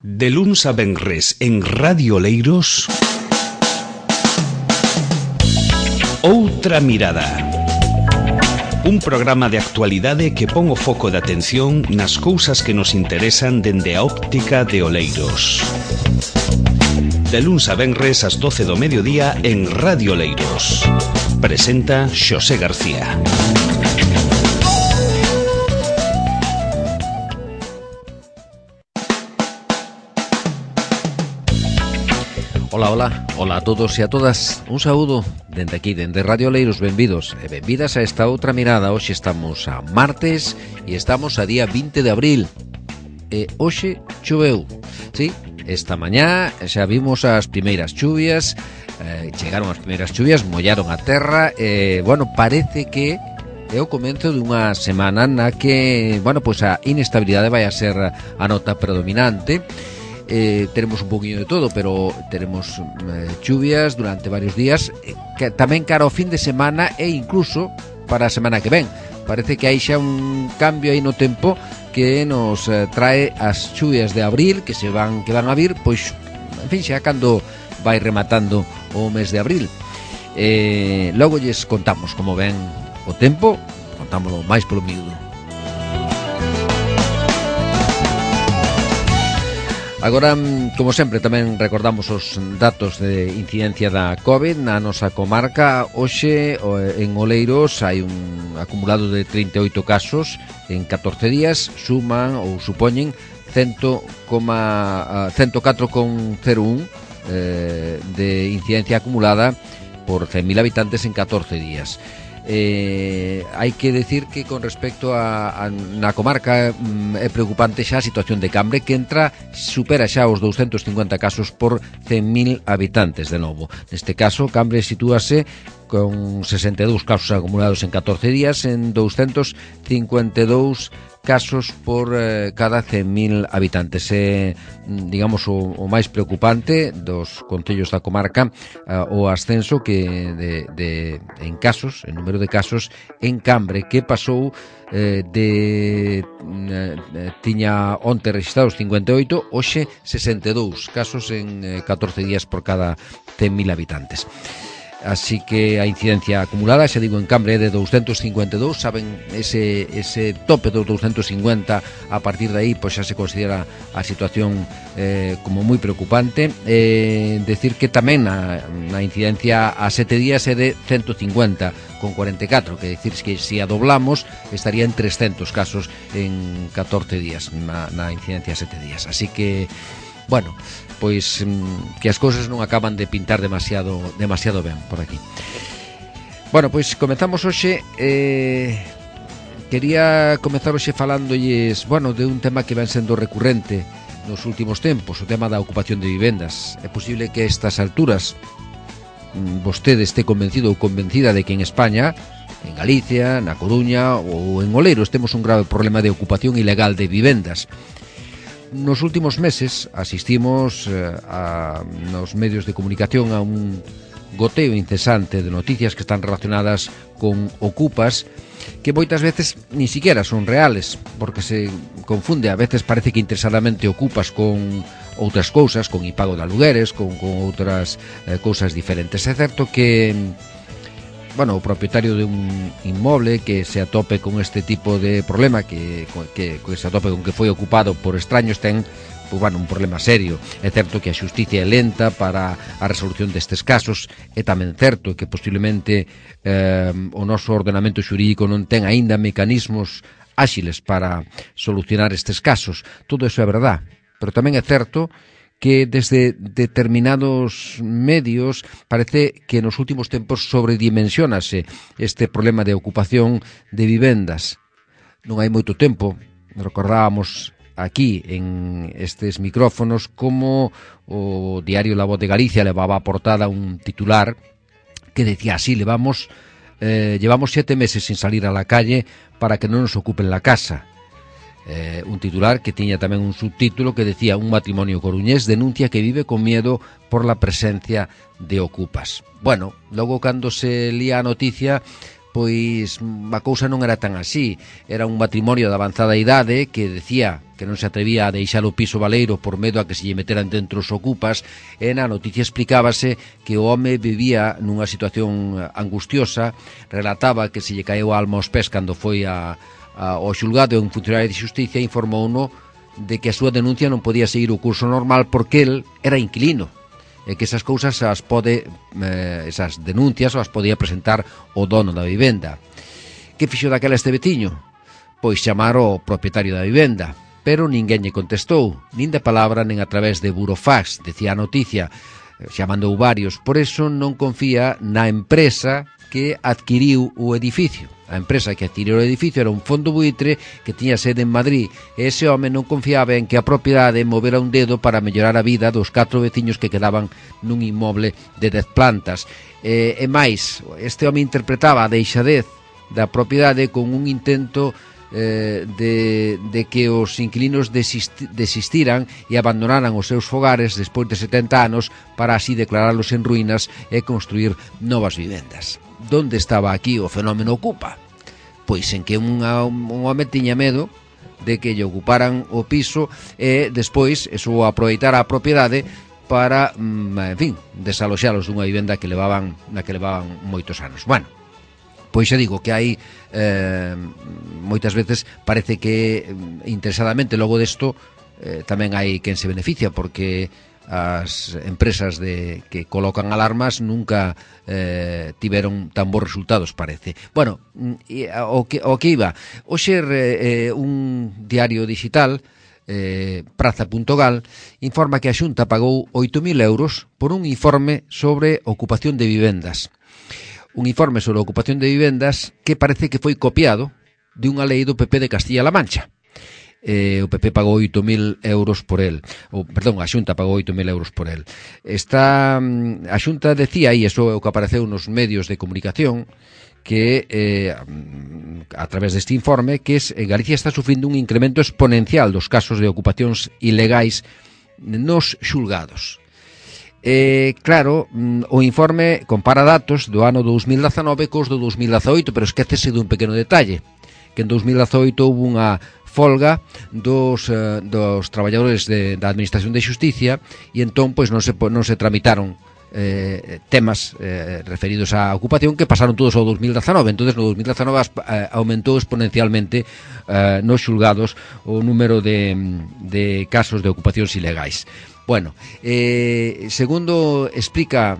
De luns a venres en Radio Oleiros, Outra Mirada. Un programa de actualidade que pon o foco de atención nas cousas que nos interesan dende a óptica de Oleiros. De luns a venres ás 12 do mediodía en Radio Oleiros. Presenta Xosé García. Ola a todos e a todas. Un saúdo dende aquí, dende Radio Oleiros. Benvidos e benvidas a esta outra mirada. Hoxe estamos a martes e estamos a día 20 de abril. E hoxe choveu. Sí, esta mañá xa vimos as primeiras chuvias. Chegaron as primeiras chuvias, mollaron a terra. Bueno, parece que é o comezo dunha semana na que, bueno, pois a inestabilidade vai a ser a nota predominante. Tenemos un poquinho de todo, pero tenemos chuvias durante varios días, que tamén cara ao fin de semana e incluso para a semana que ven. Parece que hai xa un cambio aí no tempo que nos trae as chuvias de abril que van a vir, pois, en fin, xa cando vai rematando o mes de abril. Logo lles contamos como ven o tempo, contámoslo máis polo miúdo. Agora, como sempre, tamén recordamos os datos de incidencia da COVID na nosa comarca. Hoxe, en Oleiros, hai un acumulado de 38 casos en 14 días, suman ou supoñen 104,01 de incidencia acumulada por 100.000 habitantes en 14 días. Hai que decir que con respecto a na comarca é preocupante xa a situación de Cambre, que supera xa os 250 casos por 100.000 habitantes de novo. Neste caso, Cambre sitúase con 62 casos acumulados en 14 días en 252 casos por cada 100.000 habitantes. Digamos, o máis preocupante dos concellos da comarca, o ascenso que en casos, en número de casos en Cambre, que pasou tiña onte registrados 58, hoxe 62 casos en 14 días por cada 100.000 habitantes. Así que a incidencia acumulada, xa digo, en Cambre é de 252. Saben, ese tope dos 250, a partir de aí pois xa se considera a situación como moi preocupante. Decir que tamén na incidencia a 7 días é de 150 con 44, que decir que se a doblamos estaría en 300 casos en 14 días na incidencia a 7 días. Así que, bueno, pois que as cousas non acaban de pintar demasiado ben por aquí. Bueno, pois comezamos hoxe. Quería comezar hoxe falándolles, bueno, de un tema que ven sendo recurrente nos últimos tempos, o tema da ocupación de vivendas. É posible que a estas alturas vostede este convencido ou convencida de que en España, en Galicia, na Coruña ou en Oleiros temos un grave problema de ocupación ilegal de vivendas. Nos últimos meses asistimos nos medios de comunicación a un goteo incesante de noticias que están relacionadas con ocupas que moitas veces ni siquiera son reales, porque se confunde, a veces parece que interesadamente ocupas con outras cousas, con impago de alugueres, con outras cousas diferentes. É certo que, bueno, o propietario de un inmoble que se atope con este tipo de problema, que se atope con que foi ocupado por extraños, ten, pues, bueno, un problema serio. É certo que a xusticia é lenta para a resolución destes casos. É tamén certo que posiblemente o noso ordenamento xurídico non ten aínda mecanismos áxiles para solucionar estes casos. Todo iso é verdad, pero tamén é certo que desde determinados medios parece que nos últimos tempos sobredimensionase este problema de ocupación de vivendas. Non hai moito tempo, recordábamos aquí en estes micrófonos como o diario La Voz de Galicia levaba a portada un titular que decía así: llevamos 7 meses sin salir a la calle para que non nos ocupen la casa. Un titular que tiña tamén un subtítulo que decía: un matrimonio coruñés denuncia que vive con miedo por la presencia de ocupas. Bueno, logo cando se lía a noticia, pois a cousa non era tan así. Era un matrimonio de avanzada idade que decía que non se atrevía a deixar o piso baleiro por medo a que se lle meteran dentro os ocupas, e na noticia explicábase que o home vivía nunha situación angustiosa, relataba que se lle caeu a alma aos pés cando foi ao xulgado, e un funcionario de xusticia informouno de que a súa denuncia non podía seguir o curso normal porque el era inquilino, e que esas cousas esas denuncias as podía presentar o dono da vivenda. Que fixo daquela este veciño? Pois chamar ao propietario da vivenda, pero ninguén lle contestou, nin de palabra nin a través de burofax, decía a noticia. Xa mandou varios, por eso non confía na empresa que adquiriu o edificio. A empresa que adquiriu o edificio era un fondo buitre que tiña sede en Madrid, e ese home non confiaba en que a propiedade movera un dedo para mellorar a vida dos 4 veciños que quedaban nun inmoble de 10 plantas. E máis, este home interpretaba a deixadez da propiedade con un intento de que os inquilinos desistiran e abandonaran os seus fogares despois de 70 anos para así declaralos en ruínas e construir novas vivendas. Donde estaba aquí o fenómeno ocupa? Pois en que un home tiña medo de que lle ocuparan o piso e despois eso aproveitara a propiedade para, en fin, desaloxalos dunha vivenda que levaban moitos anos. Bueno, pois xa digo que hai moitas veces parece que interesadamente logo desto tamén hai quen se beneficia, porque as empresas que colocan alarmas nunca tiveron tan bons resultados, parece. Bueno, o que iba hoxe, un diario digital, Praza.gal, informa que a Xunta pagou 8.000 euros por un informe sobre ocupación de vivendas. Un informe sobre a ocupación de vivendas que parece que foi copiado de unha lei do PP de Castilla-La Mancha. O PP pagou 8.000 euros por el. A Xunta pagou 8.000 euros por el. A Xunta decía, e iso é o que apareceu nos medios de comunicación, que a través deste informe, que Galicia está sufrindo un incremento exponencial dos casos de ocupacións ilegais nos xulgados. Claro, o informe compara datos do ano 2019 cos do 2018, pero esquécese dun pequeno detalle, que en 2018 houve unha folga dos traballadores da Administración de Xusticia, e entón pois non se tramitaron temas referidos á ocupación, que pasaron todos ao 2019. Entonces no 2019 aumentou exponencialmente nos xulgados o número de casos de ocupacións ilegais. Bueno, segundo explica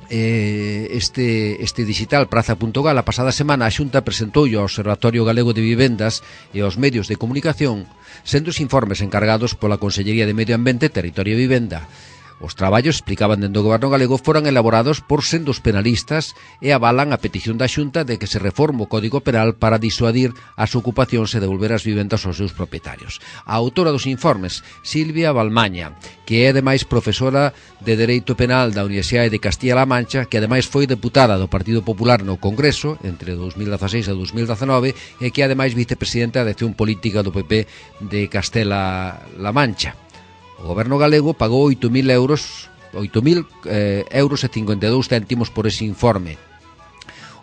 este digital Praza.gal, a pasada semana a Xunta presentou ao Observatorio Galego de Vivendas e aos medios de comunicación sendos informes encargados pola Consellería de Medio Ambiente, Territorio e Vivenda. Os traballos, explicaban dentro do Goberno galego, foran elaborados por sendos penalistas e avalan a petición da Xunta de que se reforme o Código Penal para disuadir as ocupacións e devolver as vivendas aos seus propietarios. A autora dos informes, Silvia Balmaña, que é ademais profesora de Dereito Penal da Universidade de Castilla-La Mancha, que ademais foi deputada do Partido Popular no Congreso entre 2016 e 2019, e que é ademais vicepresidenta de Acción Política do PP de Castela-La Mancha. O Goberno galego pagou 8.000 euros e 52 céntimos por ese informe.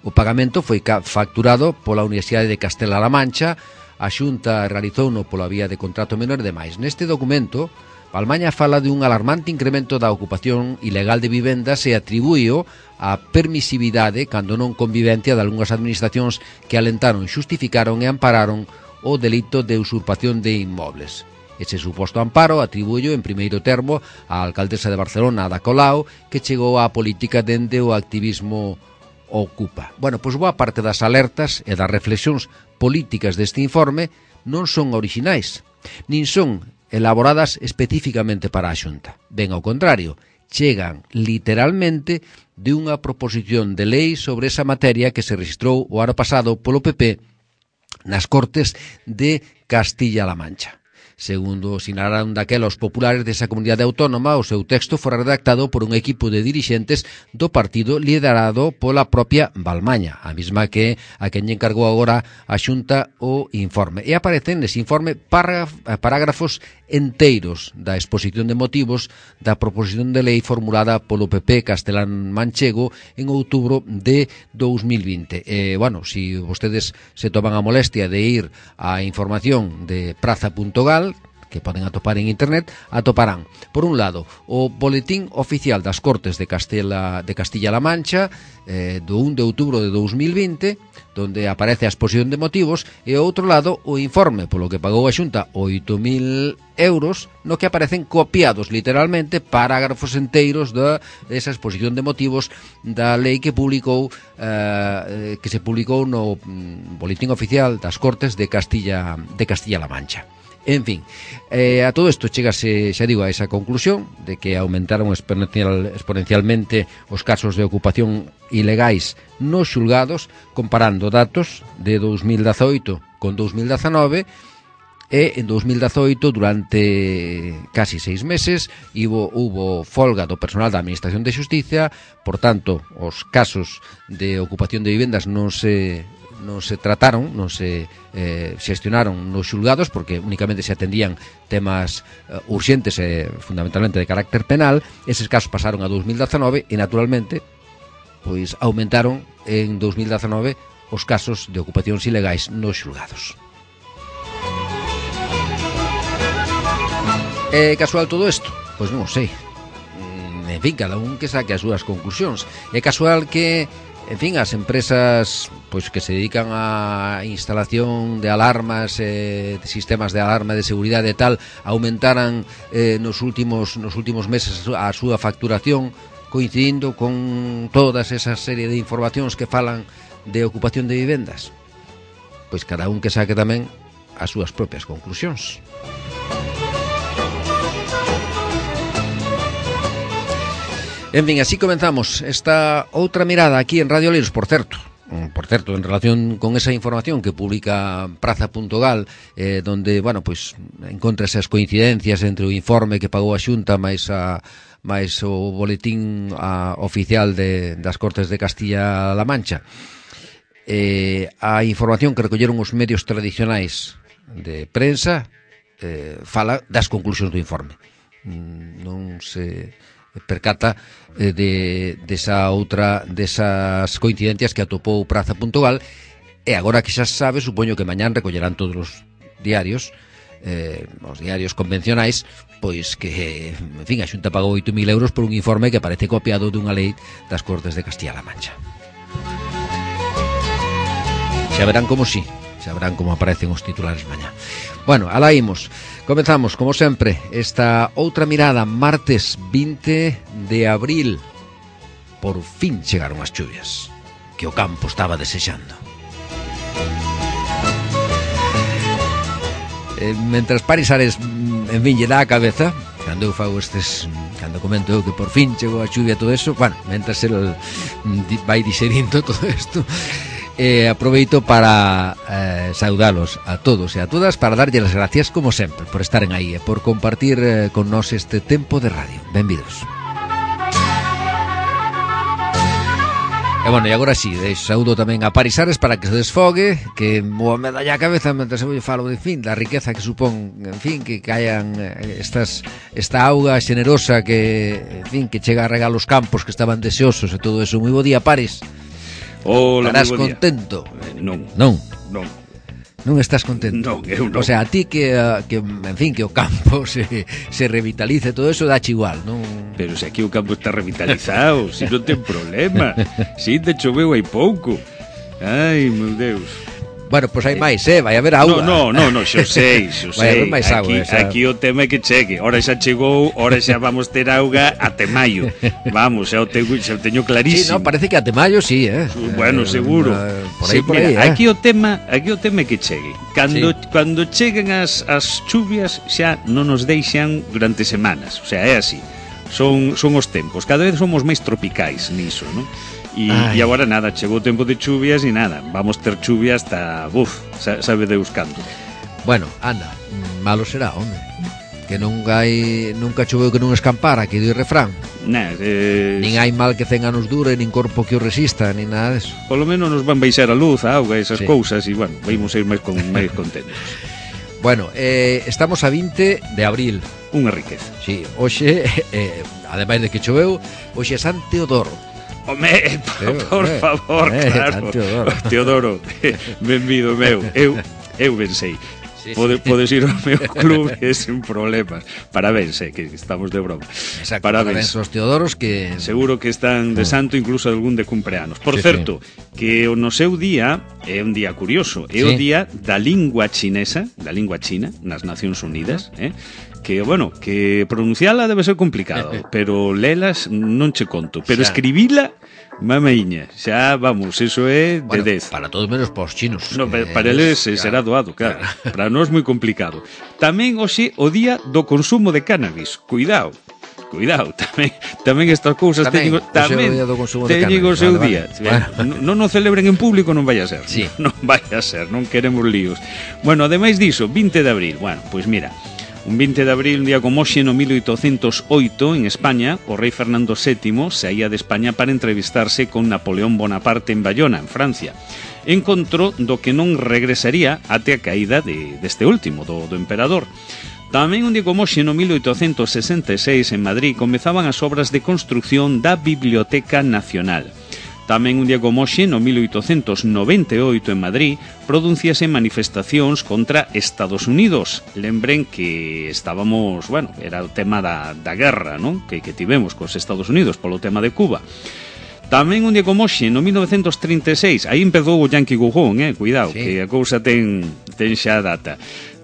O pagamento foi facturado pola Universidade de Castela-La Mancha, a Xunta realizouno pola vía de contrato menor e demais. Neste documento, Balmaña fala de un alarmante incremento da ocupación ilegal de vivendas e atribúeo á permisividade, cando non convivencia, de algunhas administracións que alentaron, xustificaron e ampararon o delito de usurpación de inmobles. Ese suposto amparo atribúello en primeiro termo á alcaldesa de Barcelona, Ada Colau, que chegou á política dende o activismo Ocupa. Bueno, pois boa parte das alertas e das reflexións políticas deste informe non son orixinais, nin son elaboradas especificamente para a Xunta. Ben ao contrario, chegan literalmente de unha proposición de lei sobre esa materia que se registrou o ano pasado polo PP nas Cortes de Castilla-La Mancha. Segundo sinalaron daquela os populares desa comunidade autónoma, o seu texto fora redactado por un equipo de dirixentes do partido liderado pola propia Balmaña, a mesma que a quen lle encargou agora a Xunta o informe. E aparecen nese informe parágrafos enteiros da exposición de motivos da proposición de lei formulada polo PP castelán manchego en outubro de 2020. Bueno, si vostedes se toman a molestia de ir á información de praza.gal, que poden atopar en internet, atoparán, por un lado, o Boletín Oficial das Cortes de Castilla-La Mancha, do 1 de outubro de 2020, donde aparece a exposición de motivos, e ao outro lado, o informe polo que pagou a Xunta 8.000 euros, no que aparecen copiados literalmente parágrafos enteiros desa exposición de motivos da lei que se publicou no Boletín Oficial das Cortes de Castilla-La Mancha. En fin, a todo isto chegase, xa digo, a esa conclusión de que aumentaron exponencialmente os casos de ocupación ilegais nos xulgados, comparando datos de 2018 con 2019, e en 2018, durante casi 6 meses, hubo folga do personal da Administración de Xustiza, por tanto, os casos de ocupación de vivendas non se trataron, non se xestionaron nos xulgados, porque únicamente se atendían temas urxentes e fundamentalmente de carácter penal. Eses casos pasaron a 2019 e naturalmente pois aumentaron en 2019 os casos de ocupacións ilegais nos xulgados. É casual todo isto? Pois non sei. En fin, cada un que saque as súas conclusións. É casual que, en fin, as empresas pois que se dedican á instalación de alarmas, de sistemas de alarma de seguridade e tal, aumentaran nos últimos meses a súa facturación, coincidindo con todas esa serie de informacións que falan de ocupación de vivendas. Pois cada un que saque tamén as súas propias conclusións. En fin, así comenzamos esta outra mirada aquí en Radio Oleiros, por certo, en relación con esa información que publica praza.gal, donde, bueno, pues encontra esas coincidencias entre o informe que pagou a Xunta máis o boletín oficial das Cortes de Castilla-La Mancha. A información que recolleron os medios tradicionais de prensa fala das conclusións do informe. Non se percata desas coincidencias que atopou praza.gal, e agora que xa sabe, supoño que mañán recollerán todos os diarios convencionais, pois que, en fin, a Xunta pagou 8.000 euros por un informe que parece copiado dunha lei das Cortes de Castilla-La Mancha. Xa verán como si, xa verán como aparecen os titulares mañá. Bueno, alá imos. Comezamos, como sempre, esta outra mirada, martes 20 de abril. Por fin chegaron as chuvias que o campo estaba desexando. Mentras Parisares, en fin, lle dá a cabeza cando eu fago cando comento eu que por fin chegou a chuvia, todo eso, bueno, mentras el vai digerindo todo isto, aproveito para saudalos a todos e a todas, para darlle as gracias, como sempre, por estaren aí e por compartir con nós este tempo de radio. Benvidos. E bueno, e agora sí, saúdo tamén a Parisares para que se desfogue, que me dá a cabeza mentras eu falo, en fin, da riqueza que supón, en fin, que caian esta auga xenerosa que, en fin, que chega a regar os campos que estaban deseosos e todo eso. Moi bo día, Paris. Hola, estarás contento? Non. Non estás contento? Non, eu non. O sea, a ti que en fin, que o campo se revitalice, todo eso dache igual, non? Pero se aquí o campo está revitalizado, si non ten problema. Si te choveu hai pouco. Ai, meu Deus. Bueno, pois hai máis, vai haber auga. No, xo sei. Vai haber máis auga. Aquí o tema é que chegue. Ora xa chegou, ora xa vamos ter auga até maio. Vamos, xa o teño clarísimo. Sí, no, parece que até maio sí, Bueno, seguro. Por aí, por aí, aquí o tema é que chegue. Cando cheguen as chuvias xa non nos deixan durante semanas. O sea, é así. Son os tempos. Cada vez somos máis tropicais niso, non? E agora nada, chegou o tempo de chuvias e nada, vamos ter chuvia hasta, sabe Deus canto. Bueno, anda, Malo será, home. Que nunca choveu que non escampara, que do refrán. Nin hai mal que 100 anos dure, nin corpo que o resista, nin nada deso. Polo menos nos van baixar a luz, a auga, esas cousas, e, bueno, vamos a ir máis contentos. Bueno, estamos a 20 de abril. Unha riqueza. Sí, hoxe, ademais de que choveu, hoxe é San Teodoro. Home, por favor, claro. Teodoro, benvido meu. Eu ben sei. Sí, podes ir ao meu club sen problemas. Parabéns, que estamos de broma. Exacto, parabéns aos Teodoros que... Seguro que están de santo, incluso algún de cumpleanos. Por certo, que no seu día é un día curioso. É o día da lingua chinesa, da lingua china, nas Nacións Unidas, que, bueno, que pronunciala debe ser complicado, pero lelas non che conto, pero escribila mamaiña, xa, vamos, eso é de 10. Para todos menos para os chinos. No, para eles será doado, claro. Para nós moi complicado. Tamén hoxe o día do consumo de cannabis. Cuidado, tamén estas cousas teñen o seu día. Non o celebren en público, non vai a ser. Sí. Non vai a ser, non queremos líos. Bueno, ademais diso, 20 de abril. Bueno, pois mira, un 20 de abril, un día como hoxe, no 1808, en España, o rei Fernando VII saía de España para entrevistarse con Napoleón Bonaparte en Bayona, en Francia. Encontró do que non regresaría até a caída deste último, do emperador. Tamén un día como hoxe, no 1866, en Madrid, comezaban as obras de construcción da Biblioteca Nacional. Tamén un día como hoxe, no 1898, en Madrid, producíase manifestacións contra Estados Unidos. Lembren que estábamos, bueno, era o tema da guerra, non? Que tivemos cos Estados Unidos polo tema de Cuba. Tamén un día como hoxe, no 1936, aí empezou o Yankee Go Home, cuidado, que a cousa ten xa data.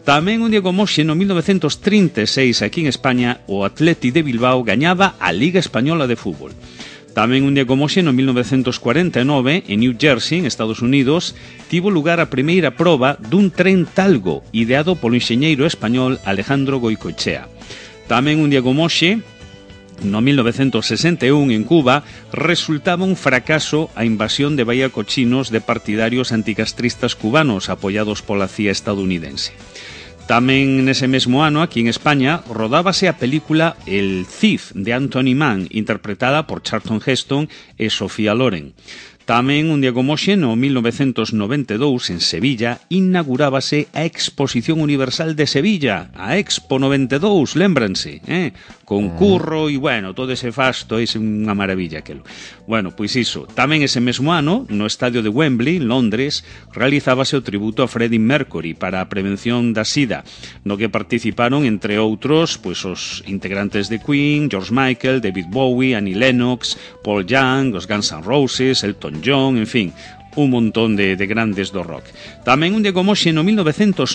Tamén un día como hoxe, no 1936, aquí en España, o Atleti de Bilbao gañaba a Liga Española de Fútbol. Tamén un día como hoxe, no 1949, en New Jersey, en Estados Unidos, tivo lugar a primeira proba dun tren Talgo, ideado polo enxeñeiro español Alejandro Goicoechea. Tamén un día como hoxe, no 1961, en Cuba, resultaba un fracaso a invasión de Bahía Cochinos de partidarios anticastristas cubanos apoiados pola CIA estadounidense. Tamén nese mesmo ano, aquí en España, rodábase a película El Cid, de Anthony Mann, interpretada por Charlton Heston e Sofía Loren. Tamén un día como hoxe, no 1992, en Sevilla, inaugurábase a Exposición Universal de Sevilla, a Expo 92, lémbranse, con curro e, bueno, todo ese fasto, é unha maravilla aquelo. Bueno, pois iso, tamén ese mesmo ano, no estadio de Wembley, en Londres, realizábase o tributo a Freddie Mercury para a prevención da SIDA, no que participaron, entre outros, pois os integrantes de Queen, George Michael, David Bowie, Annie Lennox, Paul Young, os Guns N' Roses, Elton John, en fin, un montón de grandes do rock. Tamén un día como hoxe, no 1998,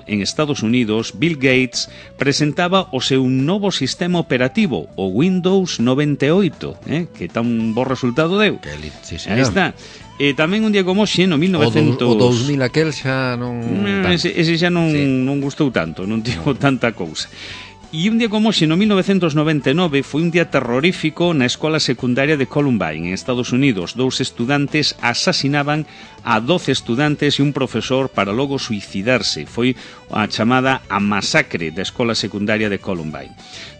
en Estados Unidos, Bill Gates presentaba o seu novo sistema operativo, o Windows 98, que tan bo resultado deu. Sí, señor. Aí está. E tamén un día como hoxe, no 1900... O 2000 aquel xa non... Ese xa non gustou tanto, non tivo tanta cousa. E un día como hoxe, no 1999, foi un día terrorífico na escola secundaria de Columbine, en Estados Unidos. 2 estudantes asasinaban a 12 estudantes e un profesor para logo suicidarse. Foi a chamada a masacre da escola secundaria de Columbine.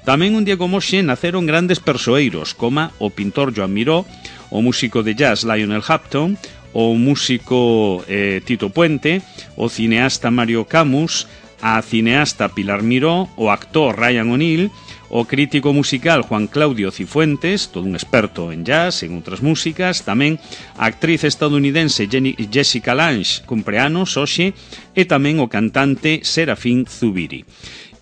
Tamén un día como hoxe naceron grandes persoeiros, como o pintor Joan Miró, o músico de jazz Lionel Hampton, o músico Tito Puente, o cineasta Mario Camus, a cineasta Pilar Miró, o actor Ryan O'Neill, o crítico musical Juan Claudio Cifuentes, todo un experto en jazz, en outras músicas, tamén a actriz estadounidense Jessica Lange, cumpleanos hoxe, e tamén o cantante Serafín Zubiri.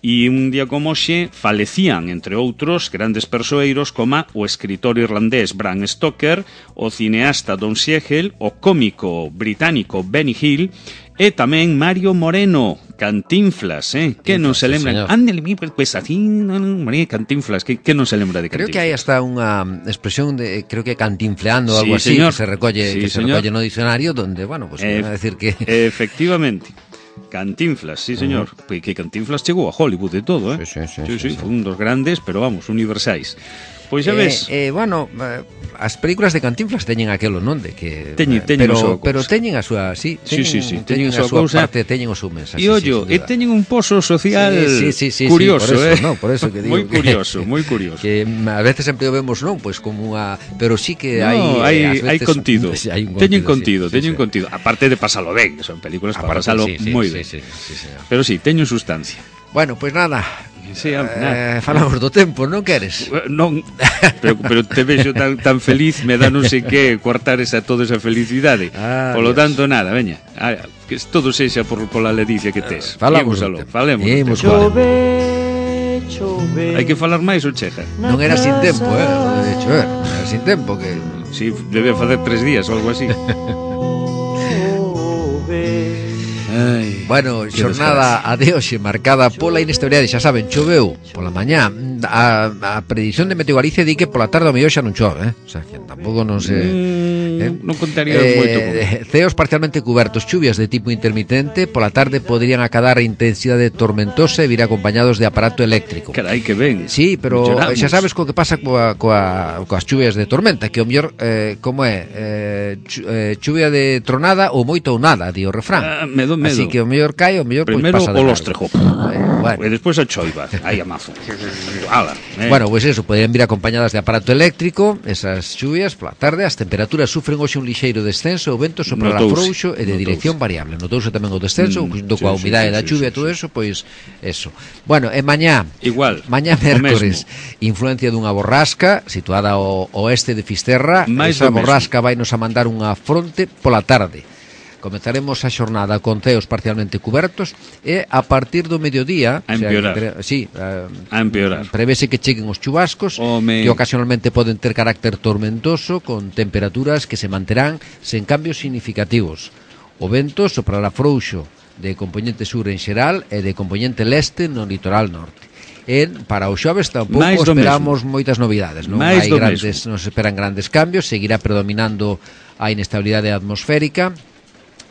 E un día como hoxe falecían, entre outros, grandes persoeiros como o escritor irlandés Bram Stoker, o cineasta Don Siegel, o cómico británico Benny Hill, e tamén Mario Moreno, Cantinflas, que non se lembra? Ándale, pues así, María Cantinflas, que non se lembra de Cantinflas? Creo que hai hasta unha expresión de, creo que cantinfleando, algo así, señor. Que se recolle no diccionario, donde, bueno, pues van a decir que... Efectivamente. Cantinflas, sí, señor. Que Cantinflas chegou a Hollywood e todo, Sí, foi un dos grandes, pero vamos, universais. Pois xa ves. Bueno, as películas de Cantinflas teñen aquelo, non? De que Teñen pero teñen a súa, sí, teñen a súa parte, teñen o seu mensaxe. E ollo, e teñen un pozo social curioso, por eso que digo. Moi curioso, moi curioso. Que a veces sempre o vemos, non, pois como unha, pero sí que hai contido. Teñen contido. Aparte de pasalo ben, son películas para pasalo moi ben. Sí, pero sí, teñen sustancia. Bueno, pois nada. Sí, nada. Falamos do tempo, non queres? Non, pero te vexo tan feliz, me dá non sei que cortar toda esa felicidade. Polo tanto, nada, veña, que todo sexa pola ledicia que tes. Falemos. Hai que falar máis ou chega? Non era sin tempo, de chover, era sin tempo que... Si, debe facer 3 días ou algo así. Ay, bueno, xornada a de hoxe marcada pola inestabilidade, xa saben, choveu pola mañá. A predición de Meteo Galicia di que pola tarde ao mellor xa non chove, O sea, que tampouco non se non contaría moito con. Ceos parcialmente cubertos, chuvias de tipo intermitente, pola tarde poderían acadar intensidade tormentosa e vir acompañados de aparato eléctrico. Carai, que ben. Sí, pero xa sabes co que pasa coas chuvias de tormenta, que o mellor como é, chuvia de tronada ou moito ou nada, di o refrán. Medo. Así que o mellor cae, o mellor primeiro pasa de o lostrejo. Bueno. E despois a choiva. Aí a mazo. Bueno, pois eso, poderían vir acompañadas de aparato eléctrico, esas chuvias pola tarde. As temperaturas sufren hoxe un lixeiro descenso, o vento soprará frouxo e de dirección variable. Notouse tamén o descenso, junto coa humidade da chuvia e todo eso, pois eso. Bueno, e mañá, mañá mércores, influencia dunha borrasca situada ao oeste de Fisterra. Esa borrasca vai nos a mandar unha fronte pola tarde. Comezaremos a xornada con ceos parcialmente cubertos e a partir do mediodía a empeorar. A empeorar. Prevese que cheguen os chubascos que ocasionalmente poden ter carácter tormentoso con temperaturas que se manterán sen cambios significativos. O vento soprará frouxo de componente sur en xeral e de componente leste no litoral norte. Para o xoves tampouco esperamos moitas novidades, non se esperan grandes cambios, seguirá predominando a inestabilidade atmosférica.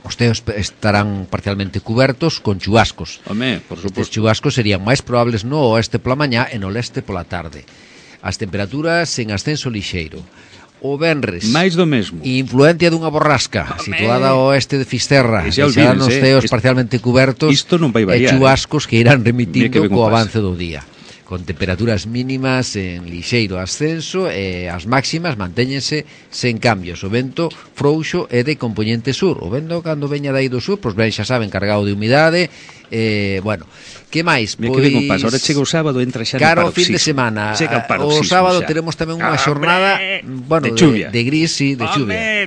Os ceos estarán parcialmente cubertos con chubascos. Por suposto. Os chubascos serían máis probables no oeste pola mañá e no leste pola tarde. As temperaturas en ascenso lixeiro. O venres, máis do mesmo. Influencia dunha borrasca situada ao oeste de Fisterra. Serán os ceos parcialmente cubertos e chubascos que irán remitindo co avance do día, con temperaturas mínimas en lixeiro ascenso e as máximas mantéñense sen cambios. O vento frouxo é de componente sur. O vento cando veña dai do sur, pois ben, xa saben, cargado de humidade. Bueno, que máis? Pois que ben pasa, ahora chega o sábado, entra xa no paroxismo. Fin de semana. O sábado teremos tamén unha xornada, bueno, de gris, sí, de chuvia.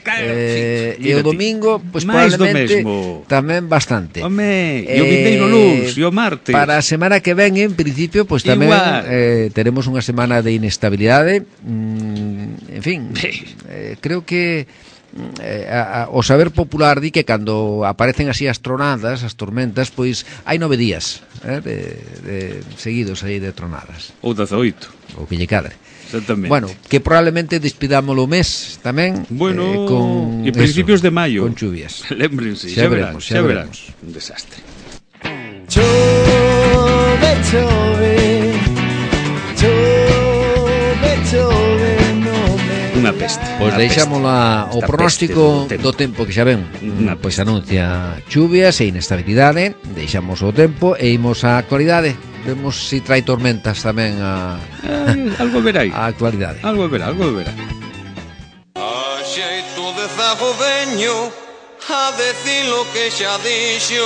E o domingo, pois probablemente tamén bastante. E o vindeiro luz, e o martes. Para a semana que ven, en principio, pois tamén teremos unha semana de inestabilidade. En fin, creo que o saber popular di que cando aparecen así as tronadas, as tormentas, pois hai 9 días de seguidos aí de tronadas. Ou 18. Ou que lle cadre. Exactamente. Bueno, que probablemente despidámolo o mes tamén. Bueno, con e principios de maio. Con chuvias. Lémbrense, xa veremos. Un desastre. Chove, chove, chove, unha peste. Pois deixámola o pronóstico do tempo que xa ven. Pois anuncia chuvias e inestabilidade. Deixamos o tempo e imos á actualidade. Vemos se trae tormentas tamén algo verai. A actualidade. Algo verá. A xeito de zago veño a decir lo que xa dixo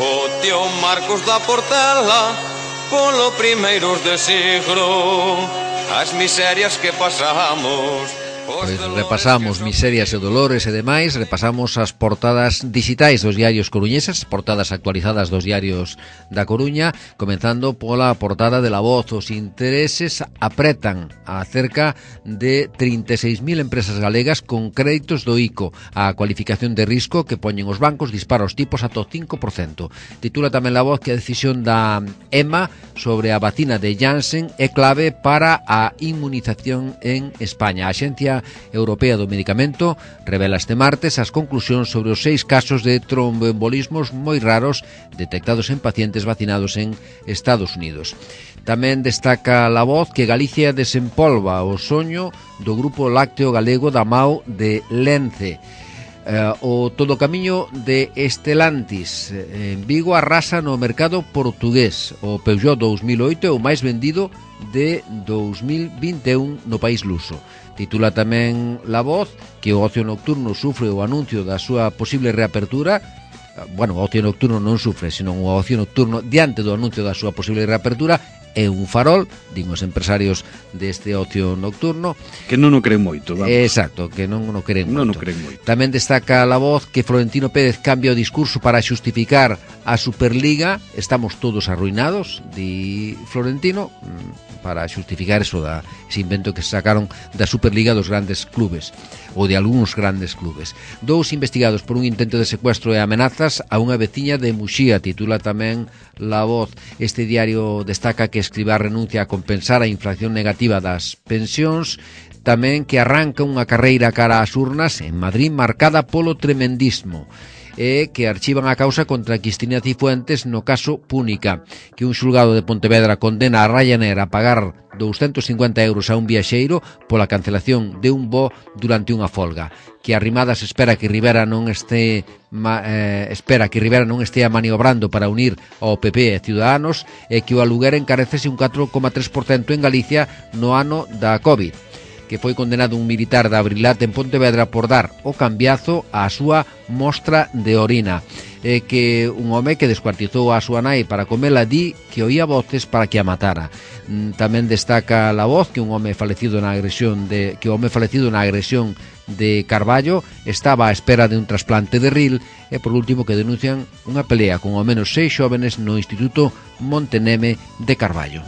o tío Marcos da Portela polo primeiros de siglo. As miserias que pasamos. Pois repasamos miserias e dolores e demais. Repasamos as portadas digitais dos diarios coruñeses, portadas actualizadas dos diarios da Coruña, comenzando pola portada de La Voz. Os intereses apretan a cerca de 36.000 empresas galegas con créditos do ICO. A cualificación de risco que poñen os bancos dispara os tipos ata o 5%. Titula tamén La Voz que a decisión da EMA sobre a vacina de Janssen é clave para a inmunización en España. A Axencia Axencia Europea do Medicamento revela este martes as conclusións sobre os 6 casos de tromboembolismos moi raros detectados en pacientes vacinados en Estados Unidos. Tamén destaca La Voz que Galicia desempolva o soño do Grupo Lácteo Galego da MAO de Lence. O todo camiño de Estelantis en Vigo arrasa no mercado portugués. O Peugeot 2008 é o máis vendido de 2021 no país luso. Titula tamén La Voz que o ocio nocturno sufre o anuncio da súa posible reapertura. Bueno, o ocio nocturno non sufre, senón o ocio nocturno diante do anuncio da súa posible reapertura é un farol, din os empresarios deste ocio nocturno. Que non o creen moito, vamos. Exacto, que non o creen moito. Non o creen moito. Tamén destaca La Voz que Florentino Pérez cambia o discurso para xustificar a Superliga. Estamos todos arruinados, di Florentino, para xustificar eso ese invento que sacaron da Superliga dos grandes clubes, ou de algúns grandes clubes. 2 investigados por un intento de secuestro e amenazas a unha veciña de Muxía, titula tamén La Voz. Este diario destaca que Escrivá renuncia a compensar a inflación negativa das pensións, tamén que arranca unha carreira cara ás urnas en Madrid marcada polo tremendismo, e que archivan a causa contra Cristina Cifuentes no caso Púnica, que un xulgado de Pontevedra condena a Ryanair a pagar 250 euros a un viaxeiro pola cancelación de un voo durante unha folga, que Arrimadas espera que Rivera non estea maniobrando para unir ao PP e Ciudadanos, e que o aluguer encarecese un 4,3% en Galicia no ano da COVID, que foi condenado un militar da Abrilat en Pontevedra por dar o cambiazo á súa mostra de orina, e que un home que descuartizou a súa nai para comela di que oía voces para que a matara. Tamén destaca La Voz que o home falecido na agresión de Carballo estaba á espera de un trasplante de ril, e por último que denuncian unha pelea con ao menos 6 xóvenes no Instituto Monteneme de Carballo.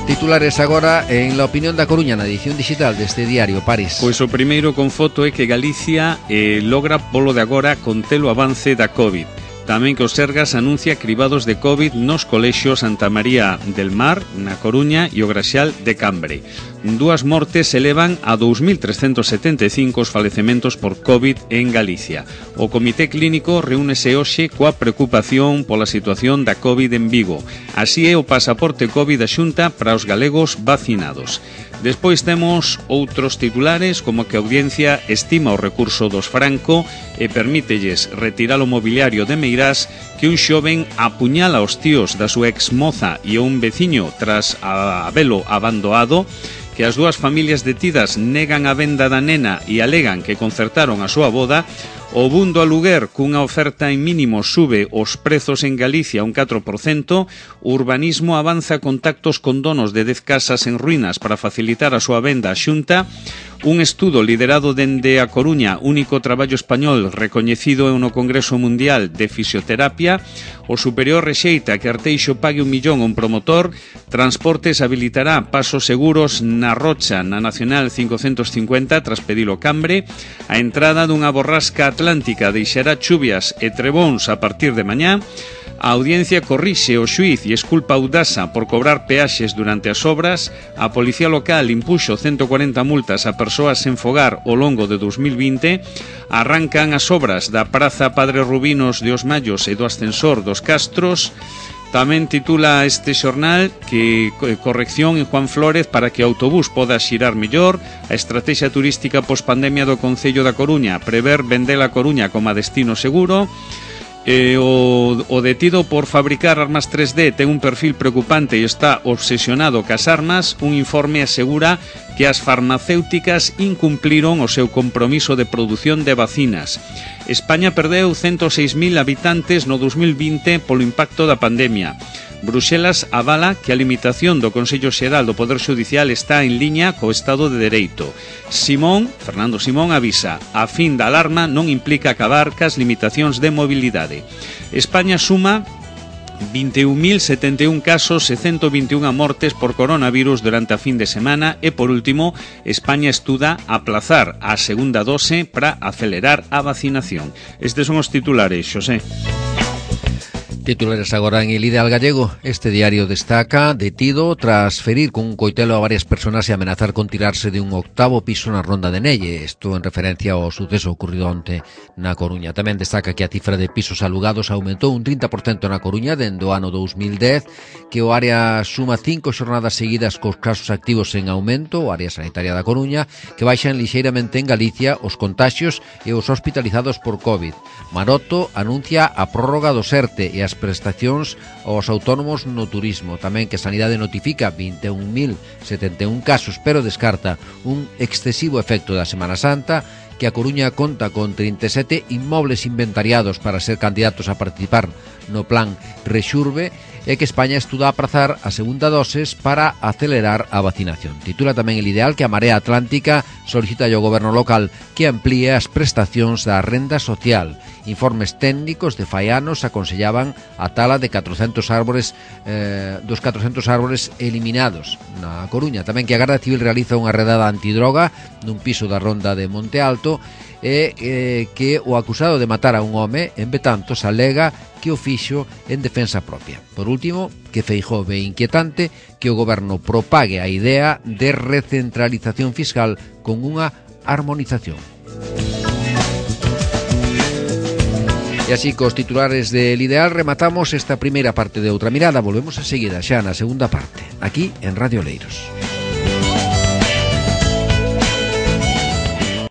Titulares agora en La Opinión da Coruña, na edición digital deste diario, París. Pois o primeiro con foto é que Galicia logra polo de agora conter o avance da COVID. Tamén que o Sergas anuncia cribados de COVID nos colexios Santa María del Mar, na Coruña, e o Graxal de Cambre. 2 mortes elevan a 2.375 os falecementos por COVID en Galicia. O Comité Clínico reúnese hoxe coa preocupación pola situación da COVID en Vigo. Así é o pasaporte COVID da Xunta para os galegos vacinados. Despois temos outros titulares, como que a Audiencia estima o recurso dos Franco e permítelles retirar o mobiliario de Meirás, que un xoven apuñala aos tíos da súa exmoza e un veciño tras habelo abandoado, que as 2 familias detidas negan a venda da nena e alegan que concertaron a súa boda. O boom do aluguer cunha oferta en mínimo sube os prezos en Galicia un 4%, o urbanismo avanza contactos con donos de 10 casas en ruínas para facilitar a súa venda á Xunta, un estudo liderado dende a Coruña, único traballo español recoñecido no Congreso Mundial de Fisioterapia, o Superior rexeita que Arteixo pague 1 millón a un promotor, Transportes habilitará pasos seguros na Rocha na Nacional 550 tras pedilo Cambre, a entrada dunha borrasca atlántica deixará chuvias e trebóns a partir de mañá. A Audiencia corrixe o xuíz e esculpa a Audasa por cobrar peaxes durante as obras. A Policía Local impuxo 140 multas a persoas sen fogar ao longo de 2020. Arrancan as obras da Praza Padre Rubinos de Os Mallos e do ascensor dos Castros. Tamén titula este xornal que corrección en Juan Flórez para que o autobús poda xirar mellor. A estrategia turística pospandemia do Concello da Coruña prever vender a Coruña como destino seguro. O detido por fabricar armas 3D ten un perfil preocupante e está obsesionado cas armas. Un informe asegura que as farmacéuticas incumpliron o seu compromiso de produción de vacinas. España perdeu 106.000 habitantes no 2020 polo impacto da pandemia. Bruxelas avala que a limitación do Consello Xeral do Poder Xudicial está en liña co Estado de Dereito. Fernando Simón avisa, a fin da alarma non implica acabar cas limitacións de mobilidade. España suma 21.071 casos e 121 mortes por coronavirus durante a fin de semana e, por último, España estuda aplazar a segunda dose para acelerar a vacinación. Estes son os titulares, Xosé. Titulares agora en El Ideal Gallego. Este diario destaca: detido tras ferir con un coitelo a varias personas e amenazar con tirarse de un 8º piso na Ronda de Nelle. Isto en referencia ao suceso ocurrido onte na Coruña. Tamén destaca que a cifra de pisos alugados aumentou un 30% na Coruña dende o ano 2010, que o área suma 5 xornadas seguidas cos casos activos en aumento, o área sanitaria da Coruña, que baixan lixeiramente en Galicia os contaxios e os hospitalizados por COVID. Maroto anuncia a prórroga do ERTE e as prestacións aos autónomos no turismo. Tamén que Sanidade notifica 21.071 casos, pero descarta un excesivo efecto da Semana Santa, que a Coruña conta con 37 inmobles inventariados para ser candidatos a participar no plan Rexurbe, e que España estuda aprazar a segunda doses para acelerar a vacinación. Titula tamén El Ideal que a Marea Atlántica solicita ao goberno local que amplíe as prestacións da renda social. Informes técnicos de fai anos aconsellaban a tala de 400 árbores dos 400 árbores eliminados na Coruña. Tamén que a Garda Civil realiza unha redada antidroga nun piso da Ronda de Monte Alto, e que o acusado de matar a un home en Betanzos alega que o fixo en defensa propia. Por último, que Feijóo ve inquietante que o goberno propague a idea de recentralización fiscal con unha armonización. E así, cos titulares del Ideal, rematamos esta primeira parte de Outra Mirada. Volvemos enseguida xa na segunda parte, aquí en Radio Oleiros.